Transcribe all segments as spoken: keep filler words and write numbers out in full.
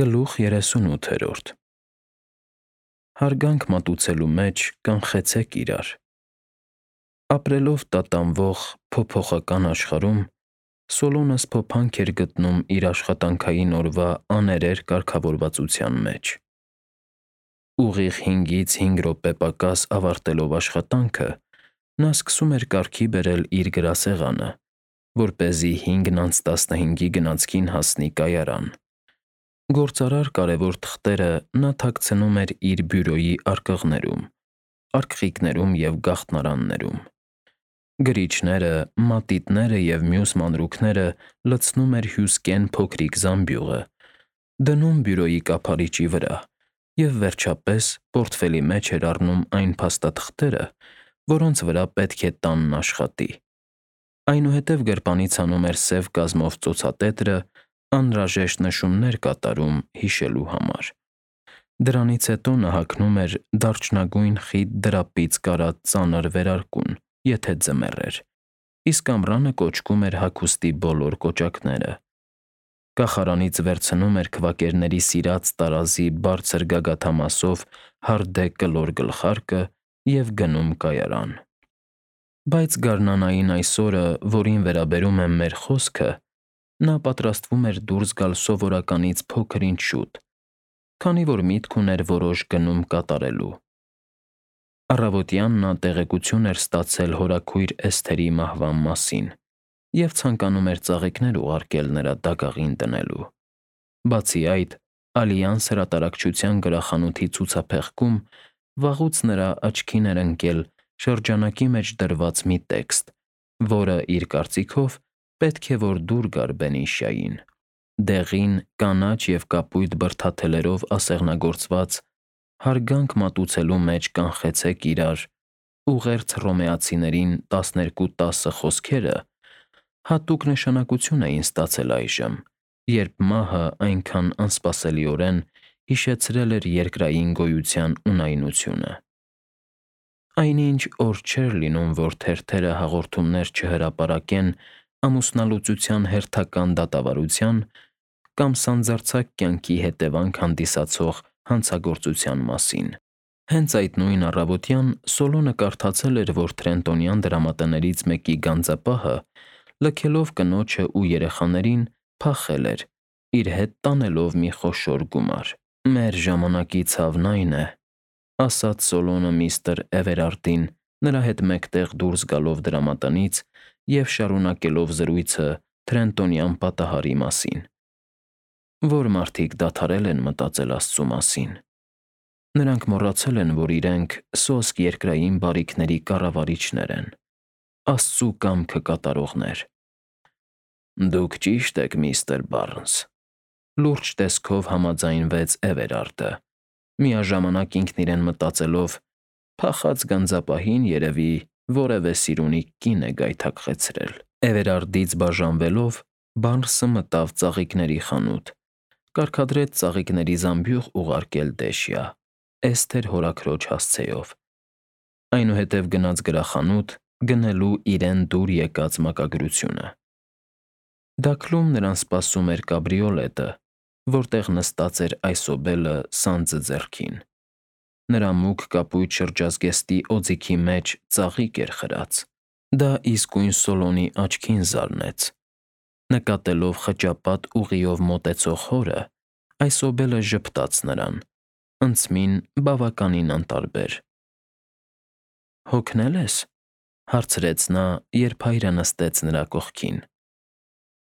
Գլուխ երեսունութերորդ Հարգանք մատուցելու մեջ կանխեցեք իրար։ Ապրելով տատանվող փոփոխական աշխարհում, Սոլոնս փոփանք էր գտնում իր աշխատանքային օրվա աներեր կարգավորվածության մեջ։ Ուղիղ հինգից հինգ րոպե պակաս ավարտելով աշխատանքը, նա սկսում էր կարգի բերել իր գրասեղանը, որպեսզի հինգն անց տասնհինգի գնացքին հասնի կայարան։ Գործարար կարևոր թղթերը նա թաքցնում էր իր բյուրոյի արկղներում, արկղիկներում և գաղտնարաններում։ Գրիչները, մատիտները և մյուս մանրուքները լցնում էր հյուսկեն փոքրիկ զամբյուղը, դնում բյուրոյի կափարիչի վրա և, վերջապես, պորտֆելի մեջ էր առնում այն փաստաթղթերը, որոնց վրա պետք է տանն աշխատի։ Այնուհետև գրպանից հանում էր սև կազմով ծոցատետրը, անհրաժեշտ նշումներ կատարում հիշելու համար։ Դրանից հետո նա հագնում էր դարչնագույն խիտ դրապից կարած ծանր վերարկուն, եթե ձմեռ էր, իսկ ամռանը կոճկում էր հագուստի բոլոր կոճակները։ Կախարանից վերցնում էր քվակերների սիրած տարազի բարձր գագաթամասով հարդե կլոր գլխարկը և գնում կայարան։ Բայց գարնանային այս օրը, որին վերաբերում է մեր խոսքը, նա պատրաստվում էր դուրս գալ սովորականից փոքր-ինչ շուտ, քանի որ միտք ուներ որոշ գնում կատարելու։ Առավոտյան նա տեղեկություն էր ստացել հորաքույր Էսթերի մահվան մասին և ցանկանում էր ծաղիկներ ուղարկել նրա դագաղին դնելու։ Բացի այդ, «Ալյանս» հրատարակչության գրախանութի ցուցափեղկում վաղուց նրա աչքին էր ընկել շրջանակի մեջ դրված մի տեքստ, որը, իր կարծիքով, պետք է որ դուր գար Բենիշյային։ Դեղին, կանաչ և կապույտ բրդաթելերով ասեղնագործված «Հարգանք մատուցելու մեջ կանխեցեք իրար» ուղերձ հռոմեացիներին տասներկու տասը խոսքերը հատուկ նշանակություն էին ստացել այժմ, երբ մահը այնքան անսպասելիորեն հիշեցրել էր երկրային գոյության ունայնությունը։ Այնինչ օր չէր լինում, որ թերթերը հաղորդումներ չհրապարակեն ամուսնալուծության հերթական դատավարության կամ սանձարձակ կյանքի հետևանք հանդիսացող հանցագործության մասին։ Հենց այդ նույն առավոտյան Սոլոնը կարդացել էր, որ Թրենտոնյան դրամատներից մեկի գանձապահը, լքելով կնոջն ու երեխաներին, փախել էր, իր հետ տանելով մի խոշոր գումար։ «Մեր ժամանակի ցավն այն է,» ասաց Սոլոնը միստր Էվերարդին, նրա հետ մեկտեղ դուրս գալով դրամատնից և շարունակելով զրույցը Թրենտոնյան պատահարի մասին, «որ մարդիկ դադարել են մտածել Աստծու մասին։ Նրանք մոռացել են, որ իրենք սոսկ երկրային բարիքների կառավարիչներ են, Աստծու կամքը կատարողներ»։ «Դուք ճիշտ եք, միստր Բարնս,» լուրջ տեսքով համաձայնվեց Էվերարդը, միաժամանակ ինքն իրեն մտածելով. «Փախած գանձապահին, երևի, որևէ սիրունիկ կին է գայթակղեցրել»։ Էվերարդից բաժանվելով՝ Բարնսը մտավ ծաղիկների խանութ, կարգադրեց ծաղիկների զամբյուղ ուղարկել Դեշյա, Էսթեր հորաքրոջ հասցեով, այնուհետև գնաց գրախանութ՝ գնելու իրեն դուր եկած մակագրությունը։ Դաքլում նրան սպասում էր կաբրիոլետը, որտեղ նստած էր այսօբելը սանձը ձեռքին։ Նրա մուգ կապույտ շրջազգեստի օձիքի մեջ ծաղիկ էր խրած։ Դա իսկույն Սոլոնի աչքին զարնեց։ Նկատելով խճապատ ուղիով մոտեցող հորը, այսօբելը ժպտաց նրան, ընծմին բավականին անտարբեր։ «Հոգնե՞լ ես,» հարցրեց նա, երբ հայրը նստեց նրա կողքին։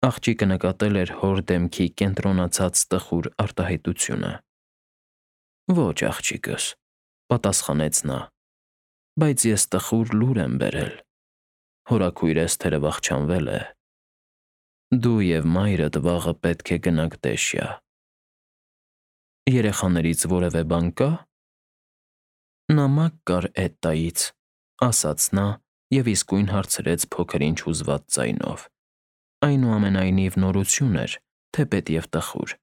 Աղջիկը նկատել էր հոր դեմքի կենտրոնացած տխուր արտահայտությունը։ «Ոչ, աղջիկս,» պատասխանեց նա, «բայց ես տխուր լուր եմ բերել. հորաքույր Էսթերը վախճանվել է։ Դու և մայրդ վաղը պետք է գնաք Դեշյա։ Երեխաներից որևէ բան կա՞»։ «Նամակ կար Էտտայից,» ասաց նա և իսկույն հարցրեց փոքր-ինչ հուզված ձայնով։ Այնուամենայնիվ նորություն էր, թեպետ և տխուր։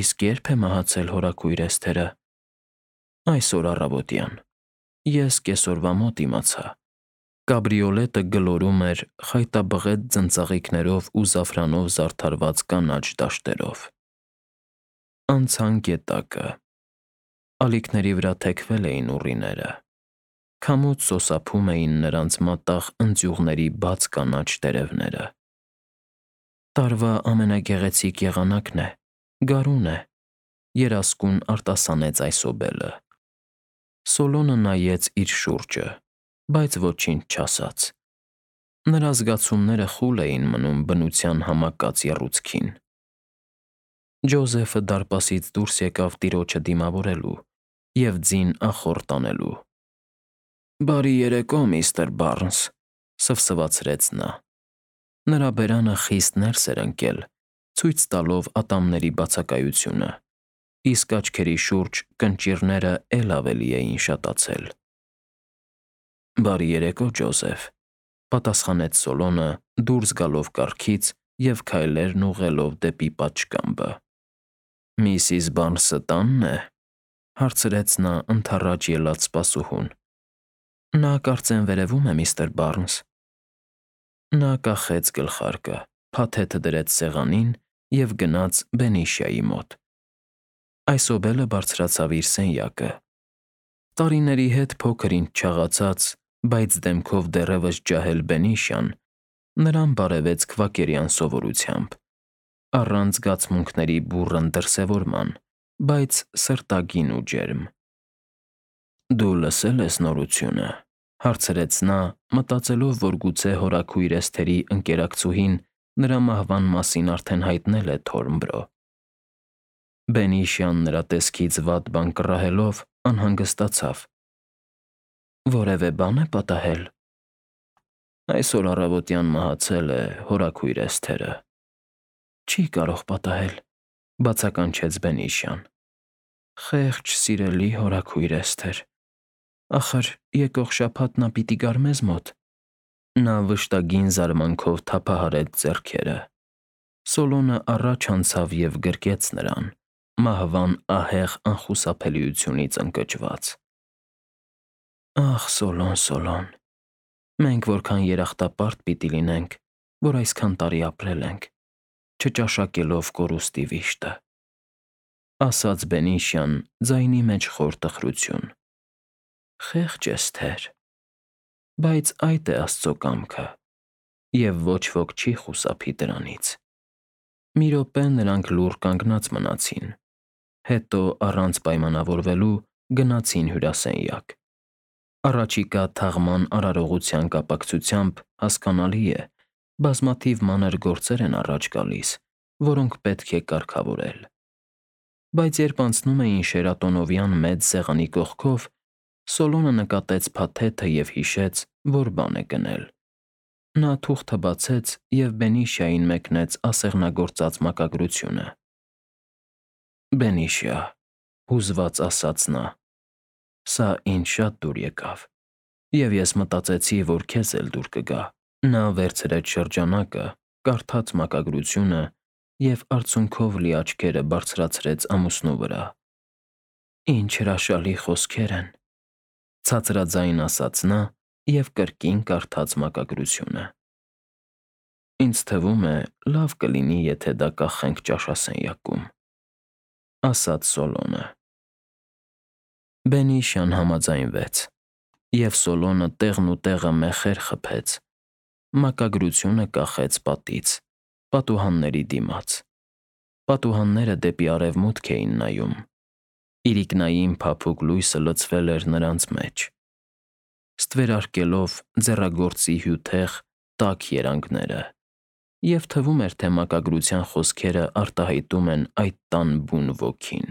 «Իսկ ե՞րբ է մահացել հորաքույր Էսթերը»։ «Այսօր առավոտյան։ Ես կեսօրվա մոտ իմացա»։ Կաբրիոլետը գլորում էր խայտաբղետ ձնծաղիկներով ու զաֆրանով զարդարված կանաչ դաշտերով։ Անցան գետակը։ Ալիքների վրա թեքվել էին ուռիները։ Քամուց սոսափում էին նրանց մատաղ ընձյուղների բաց կանաչ տերևները։ Տարվա ամենագեղեցիկ եղանակն է, գարուն է, երասկուն արտասանեց այսօբելը։ Սոլոնը նայեց իր շուրջը, բայց ոչինչ չասաց։ Նրա զգացումները խուլ էին մնում բնության համակած եռուցքին։ Ջոզեֆը դարպասից դուրս եկավ տիրոջը դիմավորելու և ձին ախոռ տանելու։ «Բարի երեկո, միստր Բարնս», սվսվացրեց նա։ Նրա բերանը խիստ ներս էր ընկել, ցույց տալով ատամների բացակայությունը, իսկ աչքերի շուրջ կնճիռները էլ ավելի էին շատացել։ «Բարի երեկո, Ջոզեֆ», պատասխանեց Սոլոնը դուրս գալով կառքից և քայլերն ուղղելով դեպի պատշգամբը։ «Միսիս Բարնսը տա՞նն է», հարցրեց նա ընդառաջ ելած սպասուհուն։ «Նա կարծեմ վերևում է, միստր Բարնս»։ Նա կախեց գլխարկը, փաթեթը դրեց սեղանին և գնաց Բենիշիայի մոտ։ Այսօբելը բարձրացավ իր սենյակը։ Տարիների հետ փոքր-ինչ չաղացած, բայց դեմքով դեռևս ջահել Բենիշիան նրան բարևեց քվակերյան սովորությամբ, առանց զգացմունքների բուռն դրսևորման, բայց սրտագին ու ջերմ։ «Դու լսե՞լ ես նորությունը», հարցրեց նա, մտածելով, որ գուցե հորաքույր Էսթերի ընկերակցուհին նրա մահվան մասին արդեն հայտնել է Թորնբրո։ Բենիշիան նրա տեսքից վատ բան կռահելով անհանգստացավ։ «Որևէ բան է պատահել»։ «Այսօր առավոտյան մահացել է հորաքույր Էսթերը»։ «Չի կարող պատահել», բացականչեց Բենիշիան։ «Խեղճ սիրելի հորաքույր Էսթեր, ախր եկող շաբաթ նա պիտի գար մեզ մոտ»։ Նա վշտագին զարմանքով թափահարեց ձեռքերը։ Սոլոնը առաջ անցավ և գրկեց նրան, մահվան ահեղ անխուսափելիությունից ընկճված։ «Ախ, Սոլոն, Սոլոն, մենք որքան երախտապարտ պիտի լինենք, որ այսքան տարի ապրել ենք, չճաշակելով կորուստի վիշտը», ասաց Բենիշիան ձայնի մեջ խոր տխրություն։ «Խեղճ Էսթեր, բայց այդ է Աստծո կամքը, և ոչ ոք չի խուսափի դրանից»։ Մի րոպե նրանք լուռ կանգնած մնացին, հետո առանց պայմանավորվելու գնացին հյուրասենյակ։ Առաջիկա թաղման արարողության կապակցությամբ, հասկանալի է, բազմաթիվ մանր գործեր են առաջ գալիս, որոնք պետք է կարգավորել։ Բայց երբ անցնում էին շերատոնովյան մեծ սեղանի կողքով, Սոլոնը նկատեց փաթեթը և հիշեց, որ բան է գնել։ Նա թուղթը բացեց և Բենիշիային մեկնեց ասեղնագործած մակագրությունը։ «Բենիշիա», հուզված ասաց նա, «սա ինձ շատ դուր եկավ, և ես մտածեցի, որ քեզ էլ դուր կգա»։ Նա վերցրեց շրջանակը, կարդաց մակագրությունը և արցունքով լի աչքերը բարձրացրեց ամուսնու վրա։ «Ինչ հրաշալի խոսքեր են», ցածրաձայն ասաց նա և կրկին կարդաց մակագրությունը։ «Ինձ թվում է, լավ կլինի, եթե դա կախենք ճաշասենյակում», ասաց Սոլոնը։ Բենիշիան համաձայնվեց, և Սոլոնը տեղն ու տեղը մեխեր խփեց, մակագրությունը կախեց պատից, պատուհանների դիմաց։ Պատուհանները դեպի արևմուտք էին նայում։ Իրիկնային փափուկ լույսը լցվել էր նրանց մեջ, ստվերարկելով ձեռագործի հյութեղ, տաք երանգները, և թվում էր, թե մակագրության խոսքերը արտահայտում են այդ տան բուն ոգին։